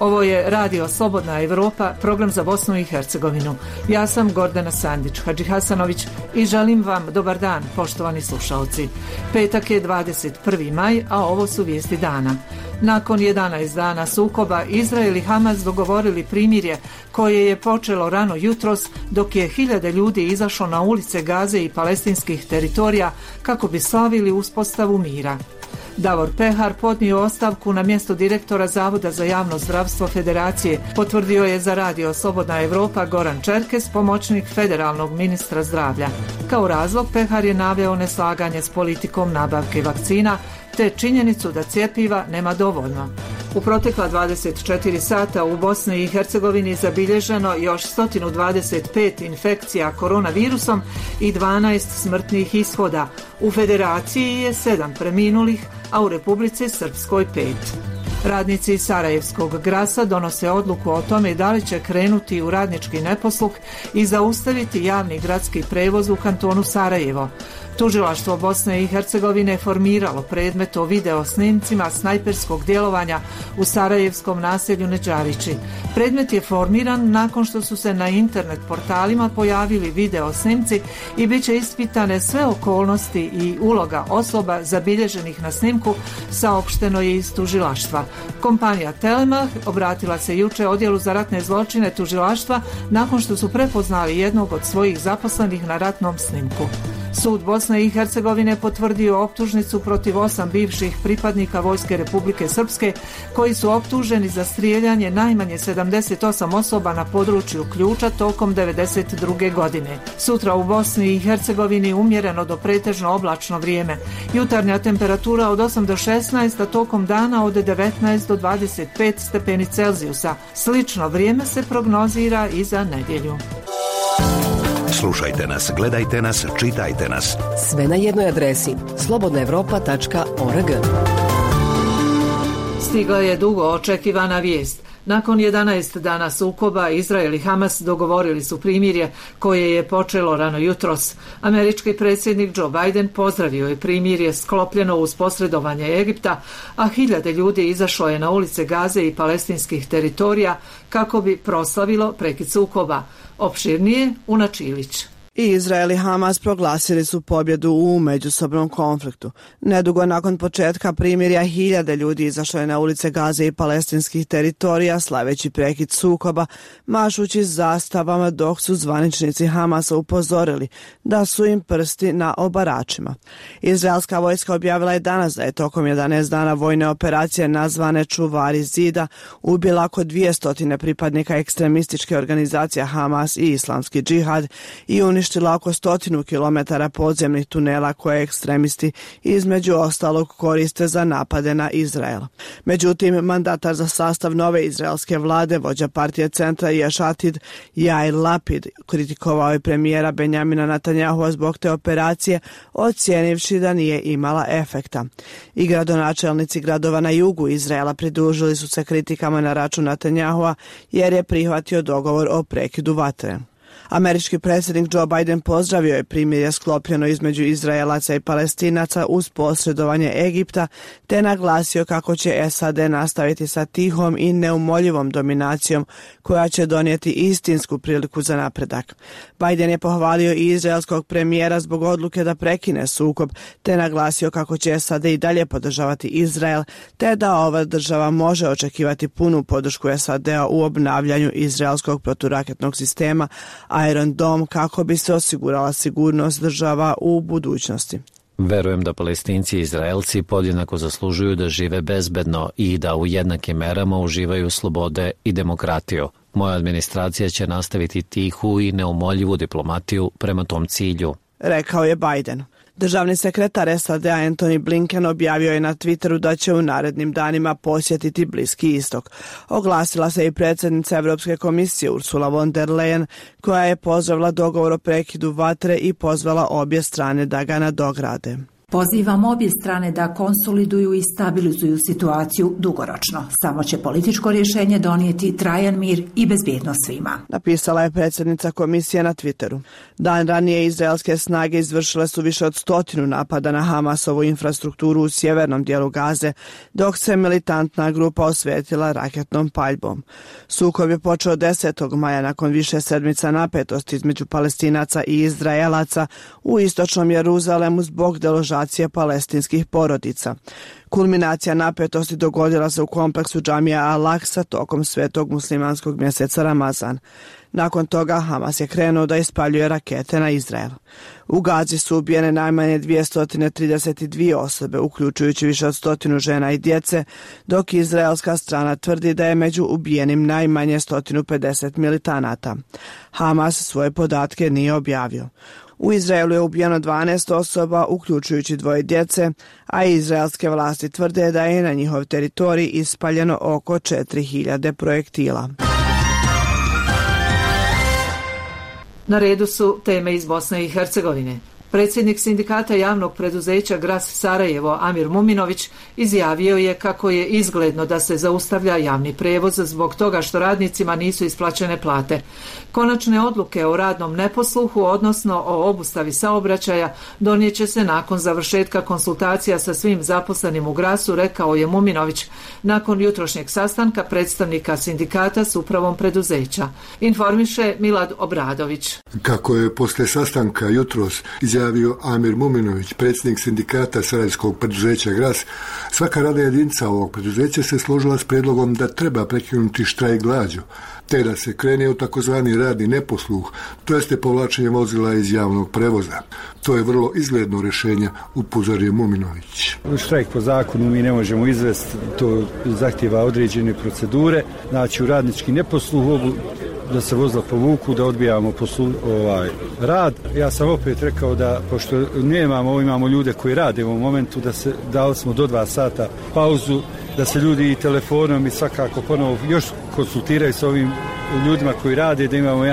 Ovo je Radio Slobodna Evropa, program za Bosnu i Hercegovinu. Ja sam Gordana Sandić Hadžihasanović i želim vam dobar dan, poštovani slušalci. Petak je 21. maj, a ovo su vijesti dana. Nakon 11 dana sukoba, Izrael i Hamas dogovorili primirje koje je počelo rano jutros, dok je hiljade ljudi izašlo na ulice Gaze i palestinskih teritorija kako bi slavili uspostavu mira. Davor Pehar podnio ostavku na mjesto direktora Zavoda za javno zdravstvo Federacije, potvrdio je za Radio Slobodna Evropa Goran Čerkes, pomoćnik federalnog ministra zdravlja. Kao razlog Pehar je naveo neslaganje s politikom nabavke vakcina, te činjenicu da cjepiva nema dovoljno. U protekla 24 sata u Bosni i Hercegovini zabilježeno još 125 infekcija koronavirusom i 12 smrtnih ishoda. U Federaciji je 7 preminulih, a u Republici Srpskoj 5. Radnici Sarajevskog Grasa donose odluku o tome da li će krenuti u radnički neposluh i zaustaviti javni gradski prevoz u kantonu Sarajevo. Tužilaštvo Bosne i Hercegovine formiralo predmet o video snimcima snajperskog djelovanja u sarajevskom naselju Neđavići. Predmet je formiran nakon što su se na internet portalima pojavili video snimci i bit će ispitane sve okolnosti i uloga osoba zabilježenih na snimku, saopšteno je iz tužilaštva. Kompanija Telemach obratila se juče odjelu za ratne zločine tužilaštva nakon što su prepoznali jednog od svojih zaposlenih na ratnom snimku. Sud Bosne i Hercegovine potvrdio optužnicu protiv 8 bivših pripadnika Vojske Republike Srpske koji su optuženi za strijeljanje najmanje 78 osoba na području Ključa tokom 1992. godine. Sutra u Bosni i Hercegovini umjereno do pretežno oblačno vrijeme. Jutarnja temperatura od 8 do 16, a tokom dana od 19 do 25 stepeni Celzijusa. Slično vrijeme se prognozira i za nedjelju. Slušajte nas, gledajte nas, čitajte nas. Sve na jednoj adresi slobodnaevropa.org. Stigla je dugo očekivana vijest. Nakon 11 dana sukoba, Izrael i Hamas dogovorili su primirje koje je počelo rano jutros. Američki predsjednik Joe Biden pozdravio je primirje sklopljeno uz posredovanje Egipta, a hiljade ljudi izašlo je na ulice Gaze i palestinskih teritorija kako bi proslavilo prekid sukoba. Opširnije Una Čilić. I Izrael i Hamas proglasili su pobjedu u međusobnom konfliktu. Nedugo nakon početka primirja hiljade ljudi izašlo je na ulice Gaze i palestinskih teritorija slaveći prekid sukoba, mašući zastavama, dok su zvaničnici Hamasa upozorili da su im prsti na obaračima. Izraelska vojska objavila je danas da je tokom 11 dana vojne operacije nazvane Čuvari zida ubila oko 200 pripadnika ekstremističke organizacije Hamas i Islamski džihad i uništila oko 100 kilometara podzemnih tunela koje ekstremisti između ostalog koriste za napade na Izrael. Međutim, mandatar za sastav nove izraelske vlade, vođa partije centra Ješ Atid, Jair Lapid, kritikovao je premijera Benjamina Netanjahua zbog te operacije, ocijenivši da nije imala efekta. I gradonačelnici gradova na jugu Izraela pridružili su se kritikama na račun Netanjahua jer je prihvatio dogovor o prekidu vatre. Američki predsjednik Joe Biden pozdravio je primirje sklopljeno između Izraelaca i Palestinaca uz posredovanje Egipta, te naglasio kako će SAD nastaviti sa tihom i neumoljivom dominacijom koja će donijeti istinsku priliku za napredak. Biden je pohvalio i izraelskog premijera zbog odluke da prekine sukob, te naglasio kako će SAD i dalje podržavati Izrael, te da ova država može očekivati punu podršku SAD-a u obnavljanju izraelskog proturaketnog sistema Iron Dome kako bi se osigurala sigurnost država u budućnosti. Verujem da Palestinci i Izraelci podjednako zaslužuju da žive bezbedno i da u jednakim merama uživaju slobode i demokratiju. Moja administracija će nastaviti tihu i neumoljivu diplomatiju prema tom cilju, rekao je Biden. Državni sekretar SAD-a Antony Blinken objavio je na Twitteru da će u narednim danima posjetiti Bliski istok. Oglasila se i predsjednica Europske komisije Ursula von der Leyen, koja je pozdravila dogovor o prekidu vatre i pozvala obje strane da ga nadograde. Pozivam obje strane da konsoliduju i stabilizuju situaciju dugoročno. Samo će političko rješenje donijeti trajan mir i bezbjednost svima. Napisala je predsjednica komisije na Twitteru. Dan ranije izraelske snage izvršile su više od 100 napada na Hamasovu infrastrukturu u sjevernom dijelu Gaze, dok se militantna grupa osvetila raketnom paljbom. Sukob je počeo 10. maja nakon više sedmica napetosti između Palestinaca i Izraelaca u istočnom Jeruzalemu zbog deložacije palestinskih porodica. Kulminacija napetosti dogodila se u kompleksu džamija Al-Aqsa tokom svetog muslimanskog mjeseca Ramazan. Nakon toga Hamas je krenuo da ispaljuje rakete na Izrael. U Gazi su ubijene najmanje 232 osobe, uključujući više od 100 žena i djece, dok izraelska strana tvrdi da je među ubijenim najmanje 150 militanata. Hamas svoje podatke nije objavio. U Izraelu je ubijeno 12 osoba, uključujući 2 djece, a izraelske vlasti tvrde da je na njihov teritorij ispaljeno oko 4000 projektila. Na redu su teme iz Bosne i Hercegovine. Predsjednik sindikata javnog preduzeća Gras Sarajevo Amir Muminović izjavio je kako je izgledno da se zaustavlja javni prijevoz zbog toga što radnicima nisu isplaćene plate. Konačne odluke o radnom neposluhu, odnosno o obustavi saobraćaja, donijet će se nakon završetka konsultacija sa svim zaposlenim u Grasu, rekao je Muminović nakon jutrošnjeg sastanka predstavnika sindikata s upravom preduzeća. Informiše Milad Obradović. Kako je poslije sastanka jutros izjavio Amir Muminović, predsjednik sindikata sarajevskog preduzeća Gras, svaka radna jedinica ovog preduzeća se složila s prijedlogom da treba prekinuti štrajk glađu, te da se krene u takozvani radni neposluh, to jeste povlačenje vozila iz javnog prevoza. To je vrlo izgledno rješenje, upozorio Muminović. Štrajk po zakonu mi ne možemo izvesti, to zahtjeva određene procedure, znači u radnički neposluh da se vozila povuku, da odbijamo rad. Ja sam opet rekao da, pošto imamo ljude koji rade u ovom momentu, dali smo do 2 sata pauzu, da se ljudi i telefonom i svakako ponovo još konsultiraju s ovim ljudima koji rade, da imamo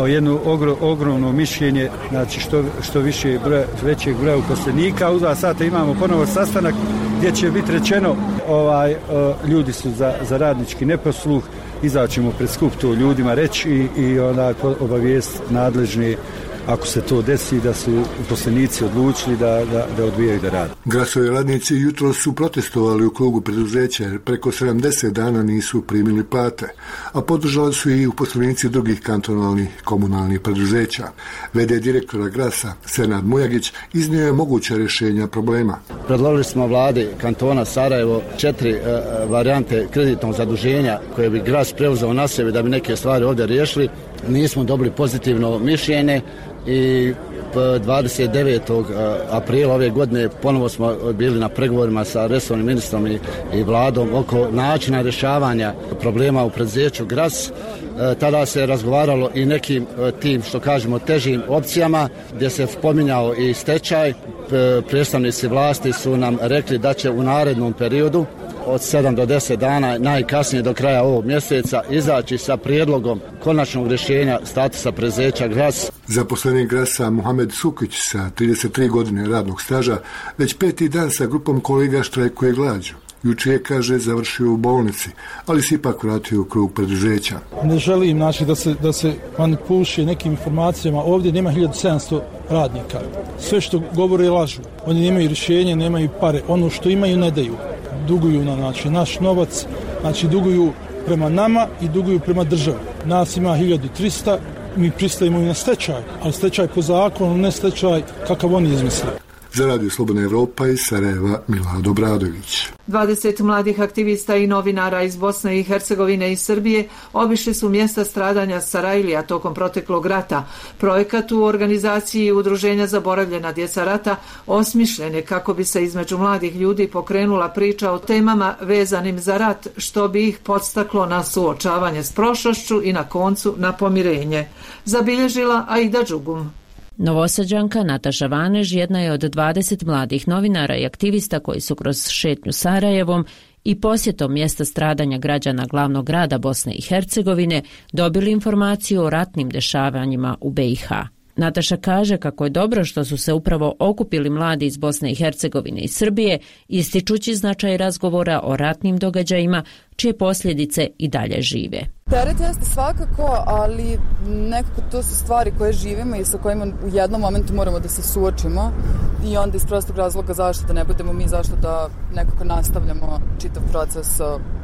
jedno ogromno mišljenje, znači što većeg broja uposlenika. U 2 sata imamo ponovo sastanak gdje će biti rečeno ljudi su za radnički neposluh, izaćemo pred skup to ljudima reći i obavijest nadležni ako se to desi da su uposlenici odlučili da odbijaju da rade. Grasovi radnici jutro su protestovali u krugu preduzeća jer preko 70 dana nisu primili plate, a podržali su i uposlenici drugih kantonalnih komunalnih preduzeća. V.d. direktora Grasa Senad Mujagić iznio je moguća rješenja problema. Predložili smo vladi kantona Sarajevo 4 varijante kreditnog zaduženja koje bi Gras preuzeo na sebe da bi neke stvari ovdje riješili. Nismo dobili pozitivno mišljenje i 29. aprila ove godine ponovo smo bili na pregovorima sa resornim ministrom i vladom oko načina rješavanja problema u preduzeću Gras. Tada se razgovaralo i nekim tim, što kažemo, težim opcijama gdje se spominjao i stečaj. Predstavnici vlasti su nam rekli da će u narednom periodu od 7 do 10 dana, najkasnije do kraja ovog mjeseca, izaći sa prijedlogom konačnog rješenja statusa preduzeća Gras. Zaposlenik Grasa Muhamed Sukić sa 33 godine radnog staža već 5. dan sa grupom kolega štrajkuje glađu. Jučer je, kaže, završio u bolnici, ali se ipak vratio u krug preduzeća. Ne želim da se manipuliše nekim informacijama. Ovdje nema 1700 radnika. Sve što govore lažu. Oni nemaju rješenje, nemaju pare. Ono što imaju ne daju. Duguju na naš novac, duguju prema nama i duguju prema državi. Nas ima 1300, mi pristajemo i na stečaj, ali stečaj po zakonu, ne stečaj kakav oni izmisle. Za Radio Slobodna Evropa iz Sarajeva Milad Obradović. 20 mladih aktivista i novinara iz Bosne i Hercegovine i Srbije obišli su mjesta stradanja Sarajlija tokom proteklog rata. Projekat u organizaciji Udruženja Zaboravljena djeca rata osmišljen je kako bi se između mladih ljudi pokrenula priča o temama vezanim za rat, što bi ih podstaklo na suočavanje s prošlošću i na koncu na pomirenje. Zabilježila Aida Đugum. Novosađanka Nataša Vanež jedna je od 20 mladih novinara i aktivista koji su kroz šetnju Sarajevom i posjetom mjesta stradanja građana glavnog grada Bosne i Hercegovine dobili informaciju o ratnim dešavanjima u BiH. Nataša kaže kako je dobro što su se upravo okupili mladi iz Bosne i Hercegovine i Srbije, ističući značaj razgovora o ratnim događajima čije posljedice i dalje žive. Teret jeste svakako, ali nekako to su stvari koje živimo i sa kojima u jednom momentu moramo da se suočimo i onda iz prostog razloga zašto da ne budemo mi, zašto da nekako nastavljamo čitav proces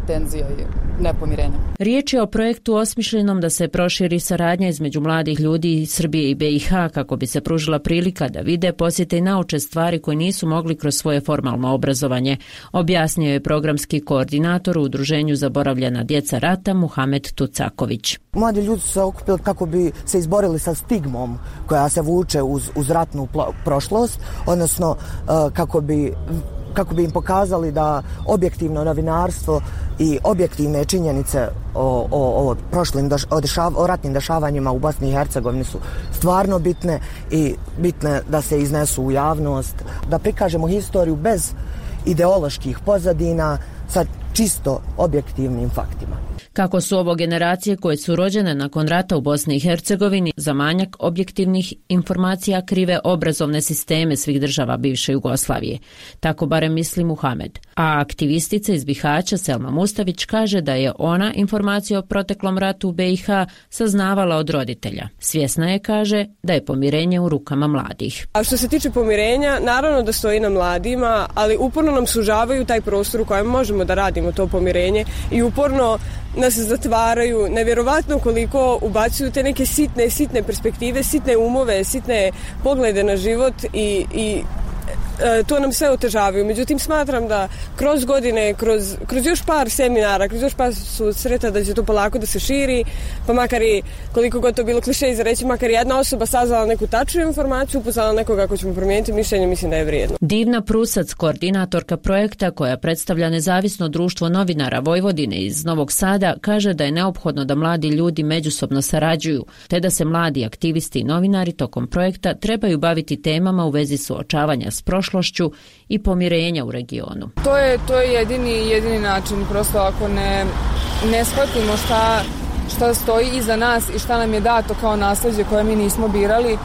tenzija i nepomirenja. Riječ je o projektu osmišljenom da se proširi saradnja između mladih ljudi iz Srbije i BiH kako bi se pružila prilika da vide, posjete i nauče stvari koje nisu mogli kroz svoje formalno obrazovanje, objasnio je programski koordinator u Udruženju Zaboravljena djeca rata Muhamed Tucaković. Mladi ljudi su se okupili kako bi se izborili sa stigmom koja se vuče uz ratnu prošlost, odnosno kako bi im pokazali da objektivno novinarstvo i objektivne činjenice o ratnim dešavanjima u Bosni i Hercegovini su stvarno bitne i bitne da se iznesu u javnost, da prikažemo historiju bez ideoloških pozadina sa čisto objektivnim faktima. Kako su ovo generacije koje su rođene nakon rata u Bosni i Hercegovini za manjak objektivnih informacija krive obrazovne sisteme svih država bivše Jugoslavije. Tako barem misli Muhamed. A aktivistica iz Bihaća Selma Mustavić kaže da je ona informaciju o proteklom ratu u BiH saznavala od roditelja. Svjesna je, kaže, da je pomirenje u rukama mladih. A što se tiče pomirenja, naravno da stoji na mladima, ali uporno nam sužavaju taj prostor u kojem možemo da radimo to pomirenje i uporno nas zatvaraju, nevjerovatno koliko ubacuju te neke sitne perspektive, sitne umove, sitne poglede na život i to nam sve otežavaju. Međutim, smatram da kroz godine, kroz još par seminara, kroz još par susreta da će to polako da se širi, pa makar i koliko god to bilo kliše za reći, makar jedna osoba saznala neku tačnu informaciju, upoznala nekoga ako ćemo promijeniti mišljenje, mislim da je vrijedno. Divna Prusac, koordinatorka projekta koja predstavlja nezavisno društvo novinara Vojvodine iz Novog Sada, kaže da je neophodno da mladi ljudi međusobno sarađuju, te da se mladi aktivisti i novinari tokom projekta trebaju baviti temama u vezi suočavanja s prošlošću i pomirenja u regionu. To je jedini način, prosto ako ne shvatimo šta stoji iza nas i šta nam je dato kao nasleđe koje mi nismo birali,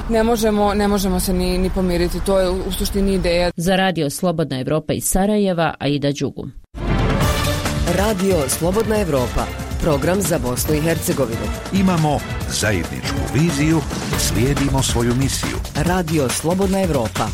ne možemo se ni pomiriti. To je u suštini ideja. Za Radio Slobodna Evropa iz Sarajeva, Aida Đugu. Radio Slobodna Evropa, program za Bosnu i Hercegovinu. Imamo zajedničku viziju, slijedimo svoju misiju. Radio Slobodna Evropa.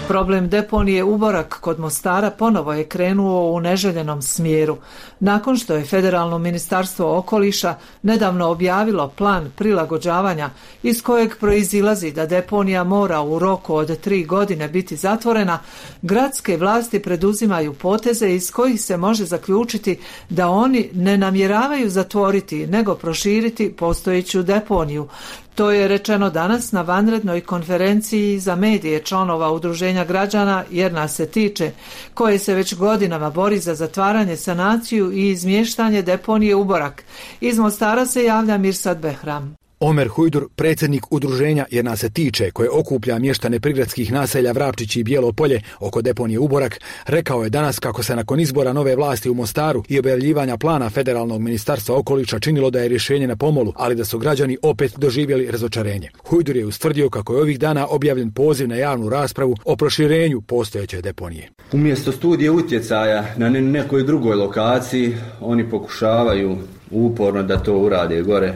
Problem deponije Uborak kod Mostara ponovo je krenuo u neželjenom smjeru. Nakon što je Federalno ministarstvo okoliša nedavno objavilo plan prilagođavanja iz kojeg proizilazi da deponija mora u roku od 3 godine biti zatvorena, gradske vlasti preduzimaju poteze iz kojih se može zaključiti da oni ne namjeravaju zatvoriti nego proširiti postojeću deponiju. To je rečeno danas na vanrednoj konferenciji za medije članova Udruženja građana Jer nas se tiče, koje se već godinama bori za zatvaranje, sanaciju i izmještanje deponije Uborak. Iz Mostara se javlja Mirsad Behram. Omer Hujdur, predsjednik udruženja Jer nas se tiče, koje okuplja mještane prigradskih naselja Vrapčić i Bijelo Polje oko deponije Uborak, rekao je danas kako se nakon izbora nove vlasti u Mostaru i objavljivanja plana Federalnog ministarstva okoliša činilo da je rješenje na pomolu, ali da su građani opet doživjeli razočarenje. Hujdur je ustvrdio kako je ovih dana objavljen poziv na javnu raspravu o proširenju postojeće deponije. Umjesto studije utjecaja na nekoj drugoj lokaciji, oni pokušavaju uporno da to urade gore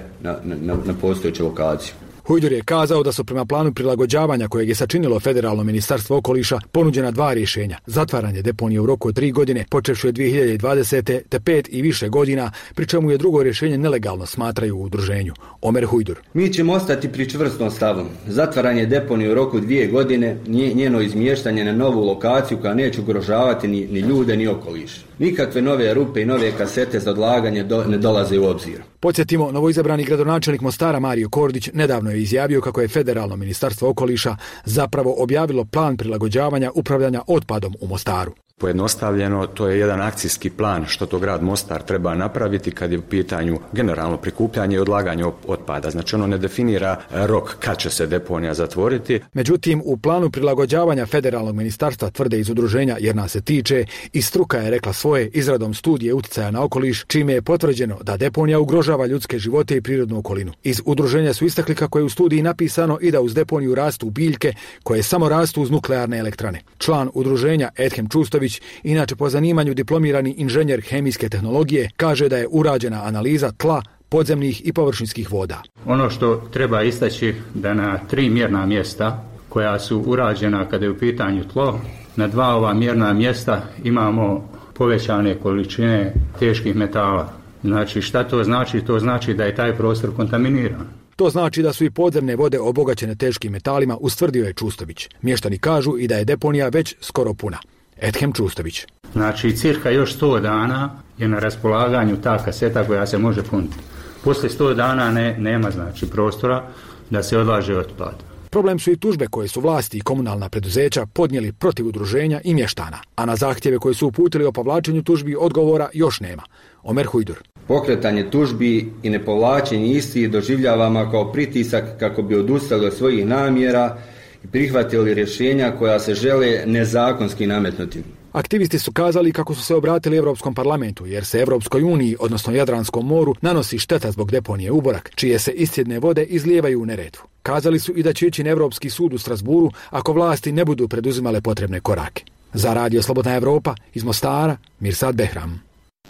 na postojeću lokaciju. Hujdur je kazao da su prema planu prilagođavanja kojeg je sačinilo Federalno ministarstvo okoliša ponuđena 2 rješenja. Zatvaranje deponije u roku od 3 godine, počevši od 2020. te 5 i više godina, pri čemu je drugo rješenje nelegalno, smatraju u udruženju. Omer Hujdur. Mi ćemo ostati pri čvrstom stavu. Zatvaranje deponije u roku 2 godine, njeno izmještanje na novu lokaciju koja neće ugrožavati ni ljude ni okoliš. Nikakve nove rupe i nove kasete za odlaganje ne dolaze u obzir. Podsjetimo, novoizabrani gradonačelnik Mostara Mario Kordić nedavno je izjavio kako je Federalno ministarstvo okoliša zapravo objavilo plan prilagođavanja upravljanja otpadom u Mostaru. Pojednostavljeno, to je jedan akcijski plan što to grad Mostar treba napraviti kad je u pitanju generalno prikupljanje i odlaganje otpada. Znači ono ne definira rok kad će se deponija zatvoriti. Međutim, u planu prilagođavanja federalnog ministarstva, tvrde iz udruženja Jer nas se tiče, i struka je rekla svoje izradom studije utjecaja na okoliš, čime je potvrđeno da deponija ugrožava ljudske živote i prirodnu okolinu. Iz udruženja su istakli kako je u studiji napisano i da uz deponiju rastu biljke koje samo rastu uz nuklearne elektrane. Član udruženja Edhem Čustović, inače po zanimanju diplomirani inženjer hemijske tehnologije, kaže da je urađena analiza tla, podzemnih i površinskih voda. Ono što treba istaći da na 3 mjerna mjesta koja su urađena kada je u pitanju tlo, na 2 ova mjerna mjesta imamo povećane količine teških metala. Znači šta to znači? To znači da je taj prostor kontaminiran. To znači da su i podzemne vode obogaćene teškim metalima, ustvrdio je Čustović. Mještani kažu i da je deponija već skoro puna. Edhem Čustović. Znači cirka još 100 dana je na raspolaganju ta kaseta koja se može puniti. Poslije 100 dana nema znači prostora da se odlaže otpad. Problem su i tužbe koje su vlasti i komunalna preduzeća podnijeli protiv udruženja i mještana, a na zahtjeve koje su uputili o povlačenju tužbi odgovora još nema. Omer Hujdur. Pokretanje tužbi i nepovlačenje istih doživljavamo kao pritisak kako bi odustali od svojih namjera i prihvatili rješenja koja se žele nezakonski nametnuti. Aktivisti su kazali kako su se obratili Europskom parlamentu, jer se Europskoj uniji, odnosno Jadranskom moru, nanosi šteta zbog deponije Uborak, čije se iscjedne vode izlijevaju u Neretvu. Kazali su i da će ići na Europski sud u Strasburu ako vlasti ne budu preduzimale potrebne korake. Za Radio Slobodna Evropa iz Mostara, Mirsad Behram.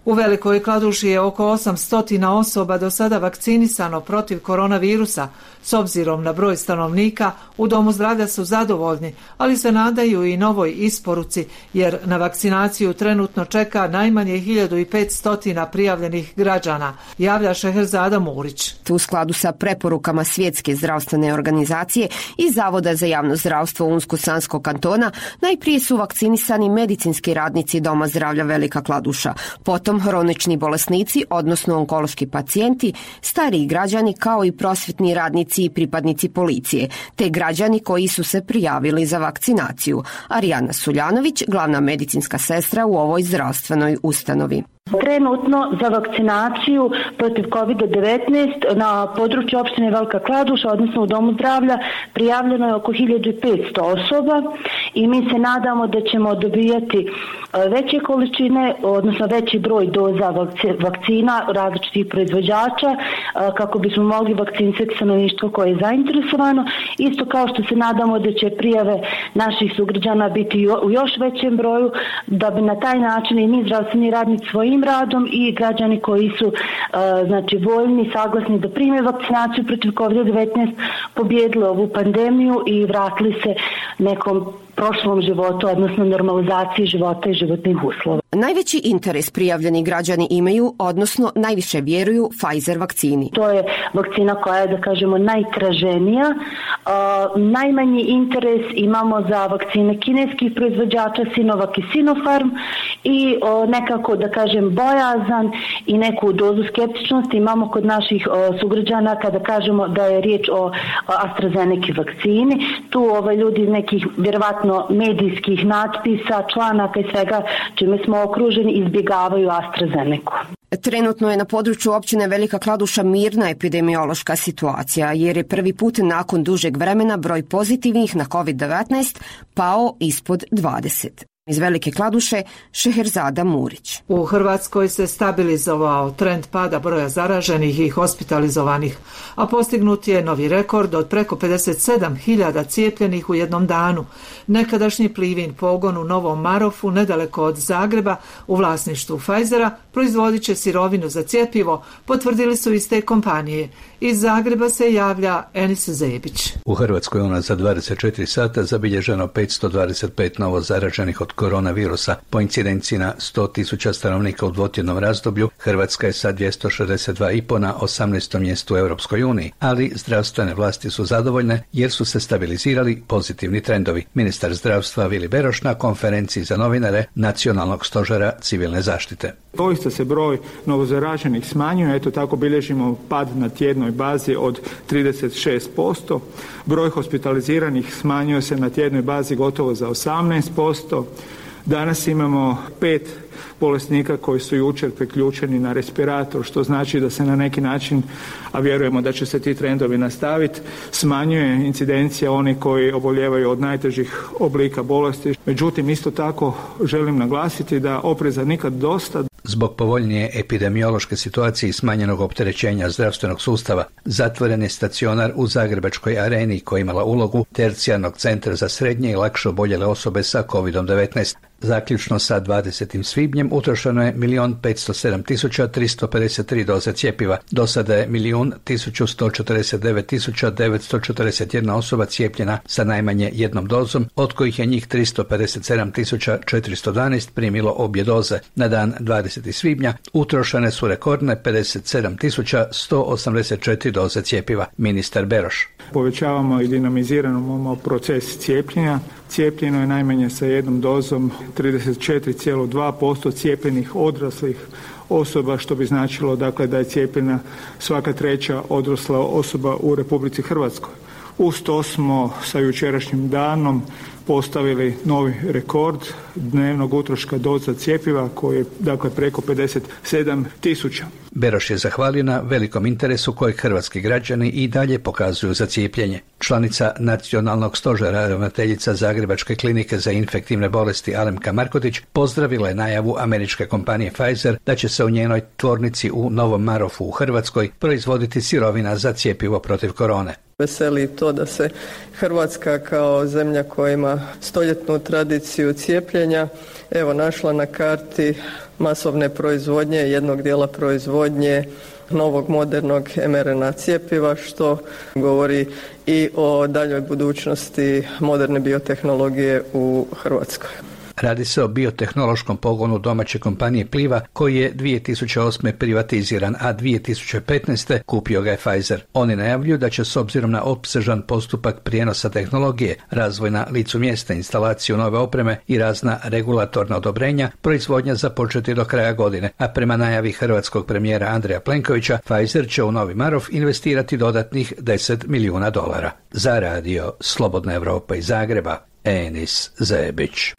U Velikoj Kladuši je oko 800 osoba do sada vakcinisano protiv koronavirusa. S obzirom na broj stanovnika, u Domu zdravlja su zadovoljni, ali se nadaju i novoj isporuci, jer na vakcinaciju trenutno čeka najmanje 1500 prijavljenih građana, javlja Šeherzada Murić. U skladu sa preporukama Svjetske zdravstvene organizacije i Zavoda za javno zdravstvo Unsko-Sanskog kantona, najprije su vakcinisani medicinski radnici Doma zdravlja Velika Kladuša, potom hronični bolesnici, odnosno onkološki pacijenti, stariji građani kao i prosvjetni radnici i pripadnici policije, te građani koji su se prijavili za vakcinaciju. Arijana Suljanović, glavna medicinska sestra u ovoj zdravstvenoj ustanovi. Trenutno za vakcinaciju protiv COVID-19 na području opštine Velika Kladuša, odnosno u Domu zdravlja, prijavljeno je oko 1500 osoba i mi se nadamo da ćemo dobijati veće količine, odnosno veći broj doza vakcina različitih proizvođača kako bismo mogli vakcinisati stanovništvo koje je zainteresovano. Isto kao što se nadamo da će prijave naših sugrađana biti u još većem broju, da bi na taj način i mi zdravstveni radnici svojim radom i građani koji su znači voljni, saglasni da prime vakcinaciju protiv COVID-19 pobijedili ovu pandemiju i vratili se nekom prošlom životu, odnosno normalizaciji života i životnih uslova. Najveći interes prijavljeni građani imaju, odnosno najviše vjeruju Pfizer vakcini. To je vakcina koja je, da kažemo, najtraženija. Najmanji interes imamo za vakcine kineskih proizvođača Sinovac i Sinopharm i nekako, da kažem, bojazan i neku dozu skeptičnosti imamo kod naših sugrađana kada kažemo da je riječ o AstraZeneca vakcini. Tu ljudi nekih vjerovatno medijskih natpisa, članaka i svega čime smo okruženi izbjegavaju AstraZenecu. Trenutno je na području općine Velika Kladuša mirna epidemiološka situacija, jer je prvi put nakon dužeg vremena broj pozitivnih na COVID-19 pao ispod 20. Iz Velike Kladuše, Šeherzada Murić. U Hrvatskoj se stabilizovao trend pada broja zaraženih i hospitalizovanih, a postignut je novi rekord od preko 57.000 cijepljenih u jednom danu. Nekadašnji Plivin pogon u Novom Marofu, nedaleko od Zagreba, u vlasništvu Pfizera, proizvodit će sirovinu za cjepivo, potvrdili su iz te kompanije. Iz Zagreba se javlja Enis Zebić. U Hrvatskoj za 24 sata zabilježeno 525 novo zaraženih od koronavirusa. Po incidenciji na 100.000 stanovnika u dvotjednom razdoblju, Hrvatska je sa 262,5 na 18. mjestu u Europskoj uniji, ali zdravstvene vlasti su zadovoljne jer su se stabilizirali pozitivni trendovi. Ministar zdravstva Vili Beroš na konferenciji za novinare Nacionalnog stožera civilne zaštite. Doista se broj novozaraženih smanjuje, eto tako bilježimo pad na tjednoj bazi od 36%. Broj hospitaliziranih smanjuje se na tjednoj bazi gotovo za 18%. Danas imamo 5 bolesnika koji su jučer priključeni na respirator, što znači da se na neki način, a vjerujemo da će se ti trendovi nastaviti, smanjuje incidencija onih koji oboljevaju od najtežih oblika bolesti. Međutim, isto tako želim naglasiti da opreza nikad dosta. Zbog povoljnije epidemiološke situacije i smanjenog opterećenja zdravstvenog sustava, zatvoren je stacionar u Zagrebačkoj areni koja imala ulogu tercijarnog centra za srednje i lakše oboljele osobe sa COVID-19. Zaključno sa 20. svibnjem utrošeno je 1.507.353 doze cjepiva. Do sada je 1.149.941 osoba cijepljena sa najmanje jednom dozom, od kojih je njih 357.412 primilo obje doze. Na dan 20. svibnja utrošene su rekordne 57.184 doze cjepiva. Ministar Beroš. Povećavamo i dinamiziramo proces cijepljenja. Cijepljeno je najmanje sa jednom dozom 34,2% cijepljenih odraslih osoba, što bi značilo dakle da je cijepljena svaka treća odrasla osoba u Republici Hrvatskoj. Uz to smo sa jučerašnjim danom postavili novi rekord dnevnog utroška doza cjepiva koji je dakle preko 57.000. Beroš je zahvalio na velikom interesu kojeg hrvatski građani i dalje pokazuju za cijepljenje. Članica Nacionalnog stožera, ravnateljica Zagrebačke klinike za infektivne bolesti Alemka Markotić pozdravila je najavu američke kompanije Pfizer da će se u njenoj tvornici u Novom Marofu u Hrvatskoj proizvoditi sirovina za cjepivo protiv korone. Veseli to da se Hrvatska kao zemlja koja ima stoljetnu tradiciju cijepljenja našla na karti masovne proizvodnje, jednog dijela proizvodnje novog modernog mRNA cjepiva, što govori i o daljoj budućnosti moderne biotehnologije u Hrvatskoj. Radi se o biotehnološkom pogonu domaće kompanije Pliva koji je 2008. privatiziran, a 2015. kupio ga je Pfizer. Oni najavljuju da će s obzirom na opsežan postupak prijenosa tehnologije, razvoj na licu mjesta, instalaciju nove opreme i razna regulatorna odobrenja, proizvodnja započeti do kraja godine, a prema najavi hrvatskog premijera Andreja Plenkovića, Pfizer će u Novi Marof investirati dodatnih $10 milijuna. Za radio Slobodna Evropa iz Zagreba, Enis Zebić.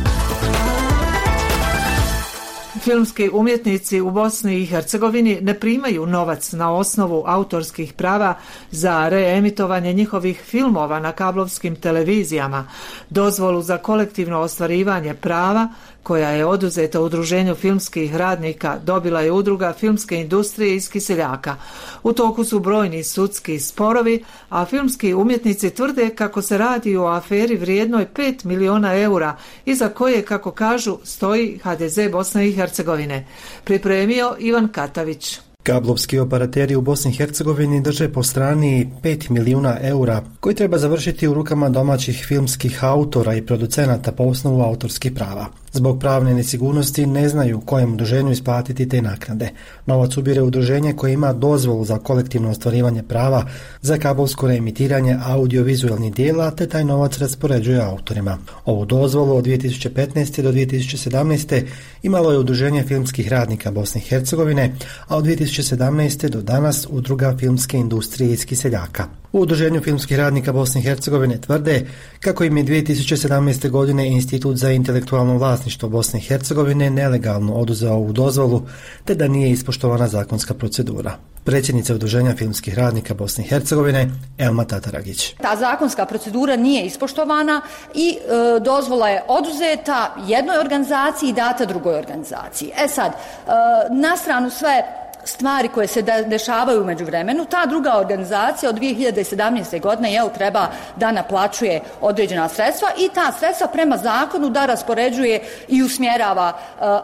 Filmski umjetnici u Bosni i Hercegovini ne primaju novac na osnovu autorskih prava za reemitovanje njihovih filmova na kablovskim televizijama. Dozvolu za kolektivno ostvarivanje prava koja je oduzeta Udruženju filmskih radnika dobila je Udruga filmske industrije iz Kiseljaka. U toku su brojni sudski sporovi, a filmski umjetnici tvrde kako se radi o aferi vrijednoj 5 miliona eura, iza koje, kako kažu, stoji HDZ Bosne i Hercegovine. Pripremio Ivan Katavić. Kablovski operateri u Bosni i Hercegovini drže po strani 5 milijuna eura koji treba završiti u rukama domaćih filmskih autora i producenata po osnovu autorskih prava. Zbog pravne nesigurnosti ne znaju kojem udruženju isplatiti te naknade. Novac ubire udruženje koje ima dozvolu za kolektivno ostvarivanje prava za kablovsko reemitiranje audiovizualnih dijela, te taj novac raspoređuje autorima. Ovu dozvolu od 2015. do 2017. imalo je Udruženje filmskih radnika Bosne i Hercegovine, a od 2017. do danas Udruga filmske industrije iz Kiseljaka. U Udruženju filmskih radnika Bosne i Hercegovine tvrde kako im je 2017. godine Institut za intelektualno vlasništvo Bosne i Hercegovine nelegalno oduzeo ovu dozvolu, te da nije ispoštovana zakonska procedura. Predsjednica Udruženja filmskih radnika Bosne i Hercegovine Elma Tataragić. Ta zakonska procedura nije ispoštovana i dozvola je oduzeta jednoj organizaciji i data drugoj organizaciji. Sad, na stranu sve stvari koje se dešavaju u međuvremenu, ta druga organizacija od 2017. godine treba da naplaćuje određena sredstva i ta sredstva prema zakonu da raspoređuje i usmjerava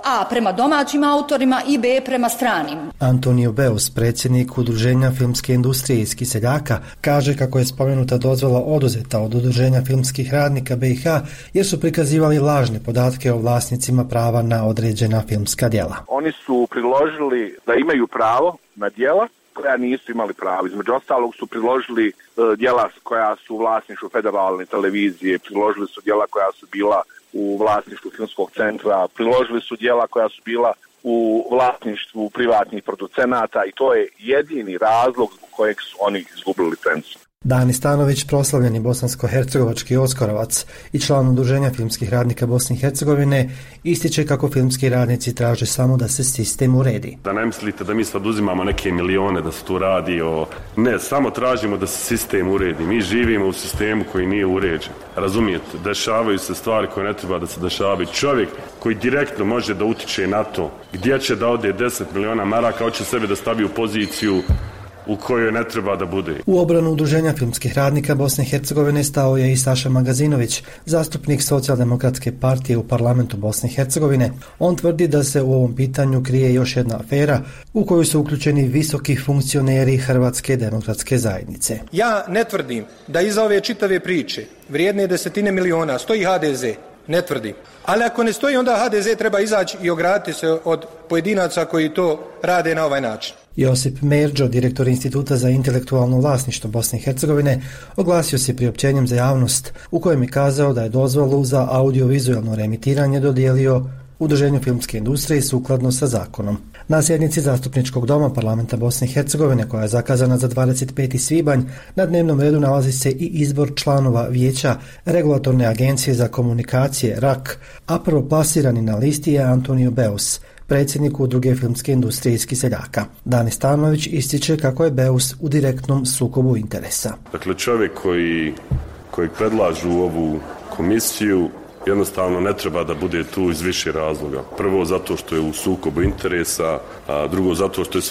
A prema domaćim autorima i B prema stranim. Antonio Beus, predsjednik Udruženja filmske industrije iz Kiseljaka, kaže kako je spomenuta dozvola oduzeta od Udruženja filmskih radnika BiH jer su prikazivali lažne podatke o vlasnicima prava na određena filmska djela. Oni su priložili da imaju pravo na djela koja nisu imali pravo. Između ostalog su priložili djela koja su u vlasništvu federalne televizije, priložili su djela koja su bila u vlasništvu filmskog centra, priložili su djela koja su bila u vlasništvu privatnih producenata i to je jedini razlog zbog kojeg su oni izgubili licencu. Dani Stanović, proslavljeni bosansko-hercegovački oskarovac i član Udruženja filmskih radnika Bosne i Hercegovine, ističe kako filmski radnici traže samo da se sistem uredi. Da ne mislite da mi sad uzimamo neke milione da se tu radi o... Ne, samo tražimo da se sistem uredi. Mi živimo u sistemu koji nije uređen. Razumijete, dešavaju se stvari koje ne treba da se dešavaju. Čovjek koji direktno može da utiče na to gdje će da ode 10 miliona maraka, hoće sebe da stavi u poziciju u kojoj ne treba da bude. U obranu Udruženja filmskih radnika Bosne i Hercegovine stao je i Saša Magazinović, zastupnik Socijaldemokratske partije u parlamentu Bosne i Hercegovine. On tvrdi da se u ovom pitanju krije još jedna afera u koju su uključeni visoki funkcioneri Hrvatske demokratske zajednice. Ja ne tvrdim da iza ove čitave priče vrijedne desetine miliona stoji HDZ. Ne tvrdim. Ali ako ne stoji, onda HDZ treba izaći i ograditi se od pojedinaca koji to rade na ovaj način. Josip Merđo, direktor Instituta za intelektualno vlasništvo Bosne i Hercegovine, oglasio se priopćenjem za javnost u kojem je kazao da je dozvolu za audiovizualno reemitiranje dodijelio Udruženju filmske industrije sukladno sa zakonom. Na sjednici Zastupničkog doma parlamenta Bosne i Hercegovine, koja je zakazana za 25. svibanj, na dnevnom redu nalazi se i izbor članova vijeća Regulatorne agencije za komunikacije RAK, a prvoplasirani na listi je Antonio Beus, predsjednik Udruge filmske industrije iz Kiseljaka. Dani Stanović ističe kako je Beus u direktnom sukobu interesa. Dakle, čovjek koji predlažu ovu komisiju jednostavno ne treba da bude tu iz više razloga. Prvo zato što je u sukobu interesa, a drugo zato što je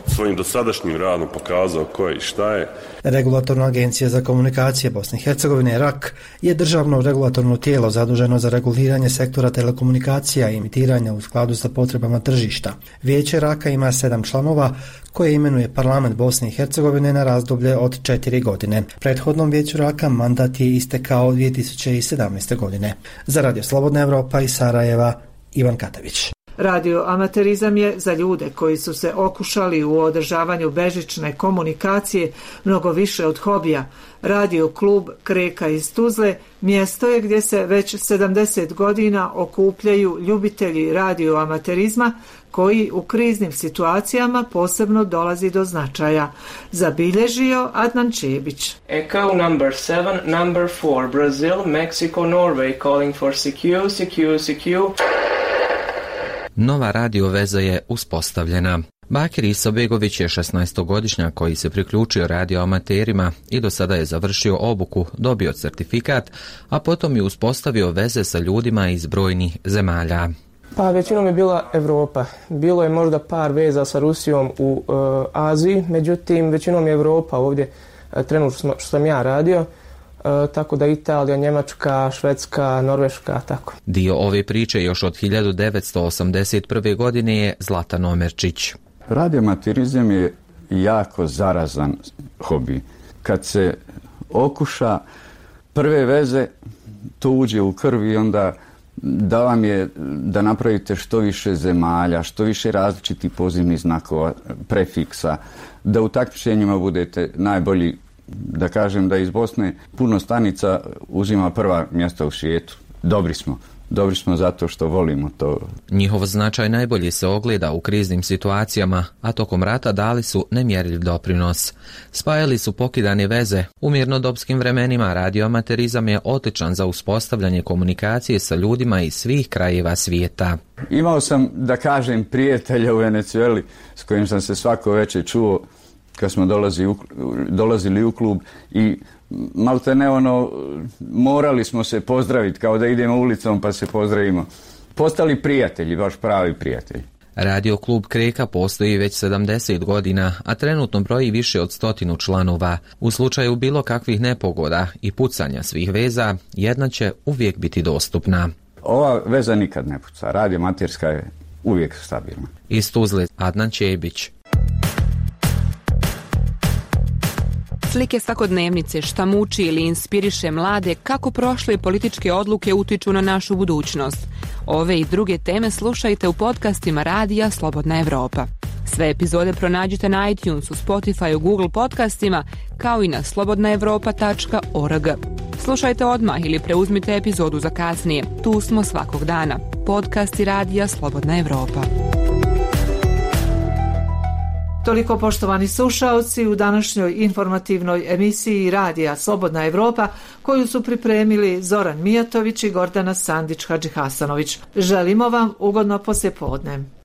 svojim dosadašnjim radom pokazao ko je i šta je. Regulatorna agencija za komunikacije Bosne i Hercegovine, RAK, je državno regulatorno tijelo zaduženo za reguliranje sektora telekomunikacija i emitiranja u skladu sa potrebama tržišta. Vijeće RAK-a ima 7 članova koje imenuje parlament Bosne i Hercegovine na razdoblje od 4 godine. Prethodnom vijeću RAK-a mandat je istekao 2017. godine. Za Radio Slobodna Evropa iz Sarajeva, Ivan Katavić. Radio amaterizam je za ljude koji su se okušali u održavanju bežične komunikacije mnogo više od hobija. Radio klub Kreka iz Tuzle mjesto je gdje se već 70 godina okupljaju ljubitelji radio amaterizma koji u kriznim situacijama posebno dolazi do značaja. Zabilježio Adnan Čebić. Echo number 7, number 4, Brazil, Mexico, Norway, calling for CQ, CQ, CQ. Nova radio veza je uspostavljena. Bakir Isobegović je 16-godišnjak koji se priključio radio amaterima i do sada je završio obuku, dobio certifikat, a potom je uspostavio veze sa ljudima iz brojnih zemalja. Pa većinom je bila Evropa. Bilo je možda par veza sa Rusijom u Aziji, međutim većinom je Evropa ovdje trenutno što sam ja radio. Tako da Italija, Njemačka, Švedska, Norveška, tako. Dio ove priče još od 1981. godine je Zlatan Omerčić. Radioamaterizam je jako zarazan hobi. Kad se okuša prve veze, to uđe u krv i onda da vam je da napravite što više zemalja, što više različitih pozivnih znakova, prefiksa, da u takmičenjima budete najbolji. Da kažem da iz Bosne puno stanica uzima prva mjesta u svijetu. Dobri smo zato što volimo to. Njihov značaj najbolje se ogleda u kriznim situacijama, a tokom rata dali su nemjerljiv doprinos. Spajali su pokidane veze. U mirnodopskim vremenima radioamaterizam je odličan za uspostavljanje komunikacije sa ljudima iz svih krajeva svijeta. Imao sam, da kažem, prijatelja u Venezueli s kojim sam se svako večer čuo kad smo dolazili u klub i maltene morali smo se pozdraviti kao da idemo ulicom pa se pozdravimo. Postali prijatelji, baš pravi prijatelji. Radio klub Kreka postoji već 70 godina, a trenutno broji više od 100 članova. U slučaju bilo kakvih nepogoda i pucanja svih veza, jedna će uvijek biti dostupna. Ova veza nikad ne puca, radio amaterska je uvijek stabilna. Iz Tuzle, Adnan Čebić. Slike svakodnevnice, šta muči ili inspiriše mlade, kako prošle političke odluke utiču na našu budućnost. Ove i druge teme slušajte u podcastima Radija Slobodna Evropa. Sve epizode pronađite na iTunesu, Spotifyu, Google podcastima, kao i na slobodnaevropa.org. Slušajte odmah ili preuzmite epizodu za kasnije. Tu smo svakog dana. Podcasti Radija Slobodna Evropa. Toliko, poštovani slušaoci, u današnjoj informativnoj emisiji Radija Slobodna Evropa, koju su pripremili Zoran Mijatović i Gordana Sandić Hadžihasanović. Želimo vam ugodno poslijepodne.